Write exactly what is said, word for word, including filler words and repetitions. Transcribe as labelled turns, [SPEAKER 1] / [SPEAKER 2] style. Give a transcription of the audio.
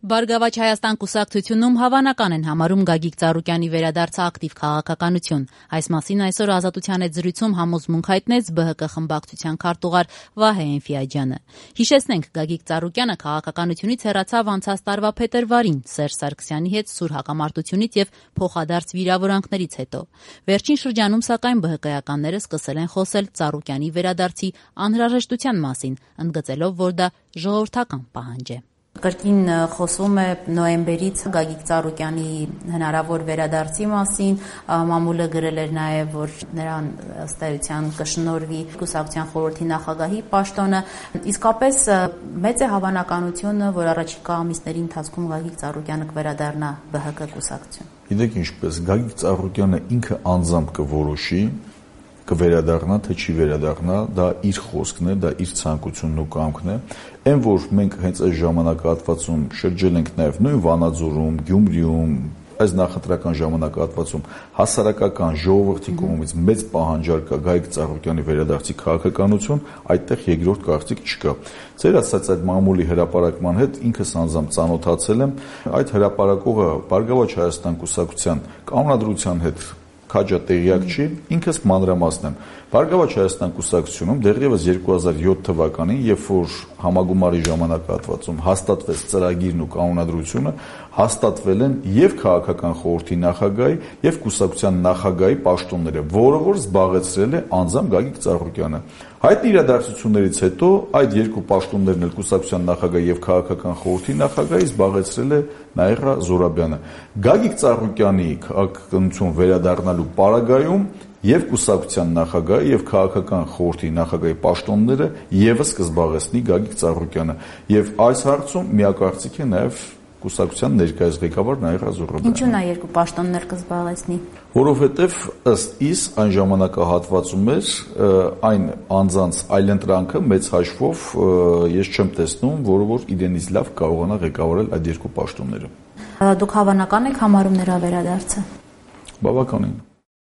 [SPEAKER 1] Բարգավաճ Հայաստան կուսակցությունում հավանական են համարում Գագիկ Ծառուկյանի վերադարձը ակտիվ քաղաքականություն։ Այս մասին այսօր Ազատության հետ զրույցում համոզմունք հայտնեց Բ Հ Կ խմբակցության քարտուղար Վահե Էնֆիաջյանը։ Հիշեցնենք, Գագիկ Ծառուկյանը քաղաքականությունից հեռացավ անցած տարվա փետրվարին Սերժ Սարգսյանի հետ սուր հակամարտությունից եւ փոխադարձ վիրավորանքներից հետո։ Վերջին շրջանում, սակայն, Բ Հ Կ-ականները սկսել են խոսել Ծառուկյանի վերադարձի անհրաժեշտության մասին, ընդգծելով, որ դա ժողովրդական պահանջ է։ Կրկին խոսվում է նոյեմբերից Գագիկ Ծառուկյանի հնարավոր վերադարձի մասին, մամուլը գրել էր նաև, որ նրան ըստ էության կշնորհվի կուսակցության խորհրդի նախագահի պաշտոնը, իսկապես մեծ է հավանականությունը, որ առաջիկա ամիսների ընթացքում Գագիկ Ծառուկյանը կվերադառնա Բ Հ Կ կուսակցություն։
[SPEAKER 2] Գիտեք ինչպես, Գագիկ Ծառուկյանը ինքը անձամբ կորոշի կվերադառնա, թե չի վերադառնա, դա իր խոսքն է, դա իր ցանկությունն ու կամքն է։ Այն որ մենք հենց այս ժամանակահատվածում շրջել ենք նաև նույն Վանաձորում, Գյումրիում, այս նախընտրական ժամանակահատվածում հասարակական ժողովրդի կողմից մեծ պահանջարկ կա Գագիկ Ծառուկյանի վերադարձի քաղաքականություն, այդտեղ երկրորդ կարծիք չկա։ Ձեր ասած այդ մամուլի հրապարակման հետ ինքս անձամբ ծանոթացել եմ, այդ հրապարակողը Բարգավաճ Հայաստան կուսակցության կանոնադրության հետ քաջա տեղյակ չի, ինքս մանրամասն եմ։ Բարգավաճ Հայաստան կուսակցությունում դեռևս երկու հազար յոթ թվականին, երբ որ համագումարի ժամանակահատվածում հաստատվեց ծրագիրն ու կանոնադրությունը, հաստատվել են եւ քաղաքական խորհրդի նախագահի եւ կուսակցության նախագահի պաշտոնները, որը որ զբաղեցրել է անձամբ Գագիկ Ծառուկյանը։ Հայտնի իրադարձություններից հետո այդ երկու պաշտոններն էլ կուսակցության նախագահի եւ քաղաքական խորհրդի նախագահի զբաղեցրել է Նաիրա Զոհրաբյանը։ Գագիկ Ծառուկյանի քաղաքականություն վերադառնալու պարագայում եւ կուսակցության նախագահի եւ քաղաքական խորհրդի նախագահի պաշտոնները եւս կզբաղեցնի Գագիկ Ծառուկյանը եւ այս հարցում միակարծիք է նաեւ կուսակցության ներկայիս ղեկավար Նաիրա Զոհրաբյանը։
[SPEAKER 1] Ինչու՞ նա երկու պաշտոններ կզբաղեցնի։
[SPEAKER 2] Որովհետեւ ըստ իս այն ժամանակահատվածում էր այն անձանց այլընտրանքը մեծ հաշվով ես չեմ տեսնում, որը որ իրենից լավ կարողանա ղեկավարել այդ երկու պաշտոնները։
[SPEAKER 1] Դուք հավանական եք համարում նրա վերադարձը։
[SPEAKER 2] Բավականին։